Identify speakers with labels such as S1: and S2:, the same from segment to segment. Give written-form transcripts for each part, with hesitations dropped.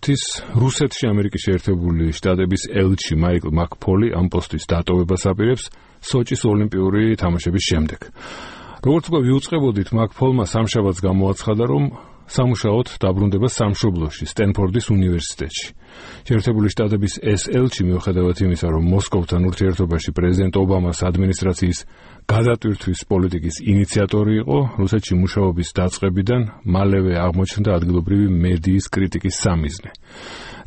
S1: რუსეთის რუსეთში ამერიკის შეერთებული შტატების ელჩი მაიკლ მაკფოლი ამ პოსტის დატოვებას აპირებს სოჭის ოლიმპიური თამაშების შემდეგ. როგორც უკვე ვიუწყებოდით, მაკფოლმა სამშაბათს გამოაცხადა, რომ სამუშაოდ დაბრუნდება სამშობლოში, სტენფორდის უნივერსიტეტში. შეერთებული შტატების ეს ელჩი, მიუხედავად იმისა, რომ მოსკოვთან ურთიერთობაში პრეზიდენტ ობამას ადმინისტრაციის გადატვირთვის პოლიტიკის ინიციატორი იყო, რუსეთში მუშაობის დაწყებიდან მალევე აღმოჩნდა ადგილობრივი მედიის კრიტიკის სამიზნე.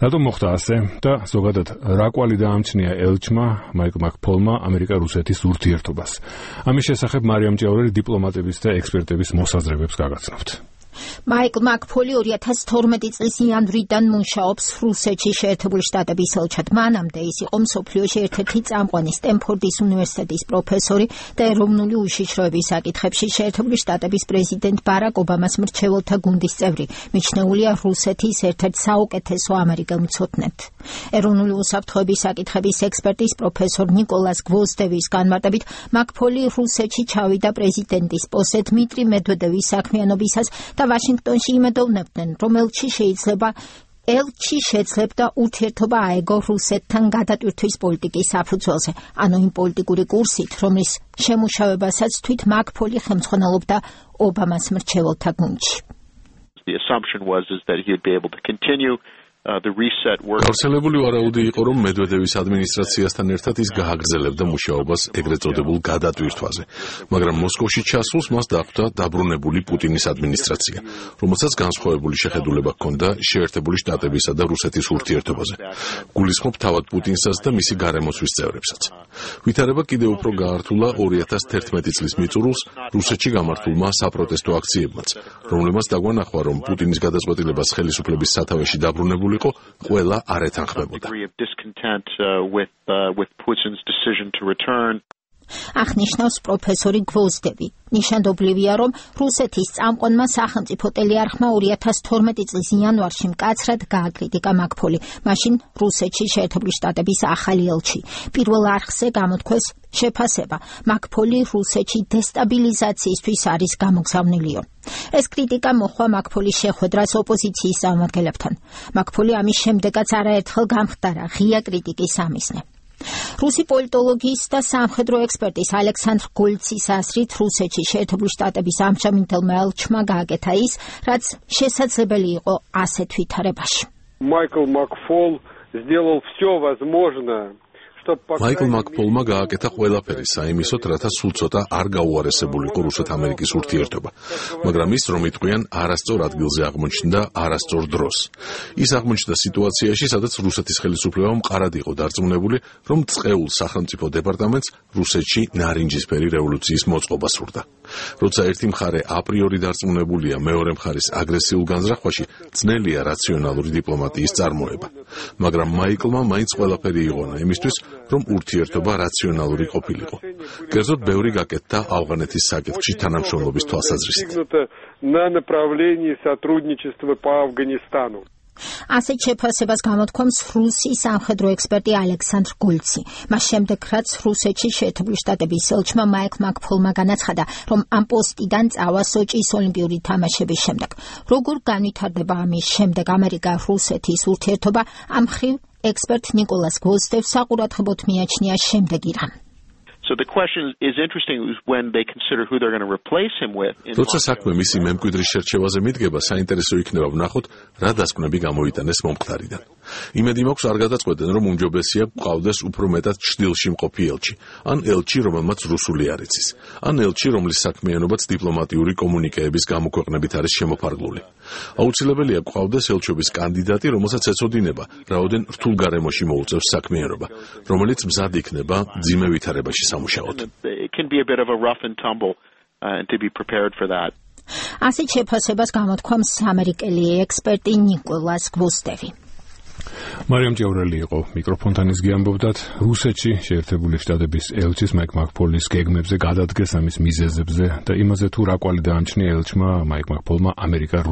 S1: რატომ მოხდა ასე და ზოგადად რა კვალი დაამჩნია ელჩმა მაიკლ მაკფოლმა ამერიკა-რუსეთის ურთიერთობას? ამის შესახებ მარიამ ჭიაურელი დიპლომატების და ექსპერტების მოსაზრებებს გაგაცნობთ.
S2: მაიკლ მაკფოლი 2012 წლის იანვრიდან მუშაობს რუსეთში შეერთებული შტატების ელჩად. მანამდე ის იყო მსოფლიოში ერთ-ერთი წამყვანი სტენფორდის უნივერსიტეტის პროფესორი და ეროვნული უშიშროების საკითხებში შეერთებული შტატების პრეზიდენტ ბარაკ ობამას მრჩეველთა გუნდის წევრი. მიჩნეულია რუსეთის ერთ-ერთ საუკეთესო ამერიკელ მცოდნედ. ეროვნული უსაფრთხოების საკითხების ექსპერტის პროფესორ ნიკოლას გვოზდევის განმარტებით, მაკფოლი რუსეთში ჩავიდა პრეზიდენტის პოსტზე დმიტრი მედვედევის საქმიანობისას და ვაშინგტონში იმედოვნებდნენ, რომ ელჩი შეძლებდა ურთიერთობა აეგო რუსეთთან გადატვირთვის პოლიტიკის საფუძველზე, ანუ იმ პოლიტიკური კურსით, რომლის შემუშავებასაც თვით მაკფოლი ხელმძღვანელობდა ობამას მრჩეველთა გუნდში.
S3: The assumption was that he would be able to continue the reset work.
S4: გავრცელებული ვარაუდი იყო, რომ მედვედევის ადმინისტრაციასთან ერთად ის გააგრძელებდა მუშაობას ეგრეთ წოდებულ გადატვირთვაზე, მაგრამ მოსკოვში ჩასულს მას დახვდა დაბრუნებული პუტინის ადმინისტრაცია, რომელსაც განსხვავებული შეხედულება ჰქონდა შეერთებული შტატებისა და რუსეთის ურთიერთობაზე. გულისხმობ თავად პუტინსაც და მისი გარემოცვის წევრებსაც. ვითარება კიდევ უფრო გაართულა 2011 წლის მიწურულს რუსეთში გამართულმა საპროტესტო აქციებმაც, რომლებმაც დაგვანახვა, რომ პუტინის გადაწყვეტილებას ხელისუფლების სათავეში დაბრუნებული ყველა არ ეთანხმებოდა.
S2: აღნიშნავს პროფესორი გვოზდევი. ნიშანდობლივია, რომ რუსეთის წამყვანმა სახელმწიფო ტელეარხმა 2012 წლის იანვარში მკაცრად გააკრიტიკა მაკფოლი. მაშინ რუსეთში შეერთებული შტატების ახალი ელჩი. პირველ არხზე გამოთქვეს შეფასება. მაკფოლი რუსეთში დესტაბილიზაციისთვის არის გამოგზავნილიო. ეს კრიტიკა მოჰყვა მაკფოლის შეხვედრას ოპოზიციის წარმომადგენლებთან. მაკფოლი ამის შემდეგაც არაერთხელ გამხდარა ღია კრიტიკის სამიზნე. რუსი პოლიტოლოგის და სამხედრო ექსპერტის ალექსანდრ გოლცის აზრით, რუსეთში შეერთებული შტატების ამჟამინდელმა ელჩმა გააკეთა ის, რაც შესაძლებელი იყო ასეთ ვითარებაში.
S5: Майкл Макфол сделал все возможное.
S4: მაიკლ მაკფოლმა გააკეთა ყველაფერი საიმისოდ, რათა სულ ცოტა არ გაუარესებულიყო რუსეთ-ამერიკის ურთიერთობა, მაგრამ ის, რომ იტყვიან, არასწორ ადგილზე აღმოჩნდა არასწორ დროს. ის აღმოჩნდა სიტუაციაში, სადაც რუსეთის ხელისუფლება მყარად იყო დარწმუნებული, რომ წყეულ სახელმწიფო დეპარტამენტს რუსეთში ნარინჯისფერი რევოლუციის მოწყობა სურდა. როცა ერთი მხარე აპრიორი დარწმუნებულია მეორე მხარის აგრესიულ განზრახვაში, ძნელია რაციონალური დიპლომატიის წარმოება. მაგრამ მაიკლმა მაინც ყველაფერი იღონა იმისთვის, რომ ურთიერთობა რაციონალური ყოფილიყო. კერძოდ, ბევრი გაკეთდა ავღანეთის საკითხში თანამშრომლობის თვალსაზრისით.
S2: ასეთ შეფასებას გამოთქვამს რუსი სამხედრო ექსპერტი ალექსანდრ გოლცი. მას შემდეგ, რაც რუსეთში შეერთებული შტატების ელჩმა მაიკლ მაკფოლმა განაცხადა, რომ ამ პოსტიდან წავა სოჭის ოლიმპიური თამაშების შემდეგ. როგორ განვითარდება ამის შემდეგ ამერიკა-რუსეთის ურთიერთობა, ამ მხრივ ექსპერტ ნიკოლას გვოზდევს საყურადღებოდ მიაჩნია შემდეგი რამ.
S3: So the question is interesting when they consider who they're going to replace him with.
S4: როცა საქმე მისი მემკვიდრის შერჩევაზე მიდგება, საინტერესო იქნება ვნახოთ, რა დასკვნები გამოიტანეს მომხდარიდან. იმედი მაქვს არ გადაწყვეტენ, რომ უმჯობესია გვყავდეს უფრო მეტად ჩრდილში მყოფი ელჩი, ან ელჩი, რომელმაც რუსული არ იცის, ან ელჩი, რომლის საქმიანობაც დიპლომატიური კომუნიკეების გამოქვეყნებით არის შემოფარგლული. აუცილებელია გვყავდეს ელჩობის კანდიდატი, რომელსაც ეცოდინება, რაოდენ რთულ გარემოში მოუწევს საქმიანობა, რომელიც მზად იქნება ძიმე ვითარებაში სამუშაოდ.
S3: It can be a bit of a rough and tumble and to be prepared for that.
S2: ასეთ შეფასებას გამოთქვამს ამერიკელი ექსპერტი ნიკოლას გვოზდევი.
S1: მარიამ ჭიაურელი იყო მიკროფონთან, ის გიამბობდათ რუსეთში შეერთებული შტატების ელჩის მაიკლ მაკფოლის გეგმებზე, გადადგეს ამის მიზეზებზე და იმაზე თუ რა კვალი დაამჩნია ელჩმა მაიკლ მაკფოლმა ამერიკა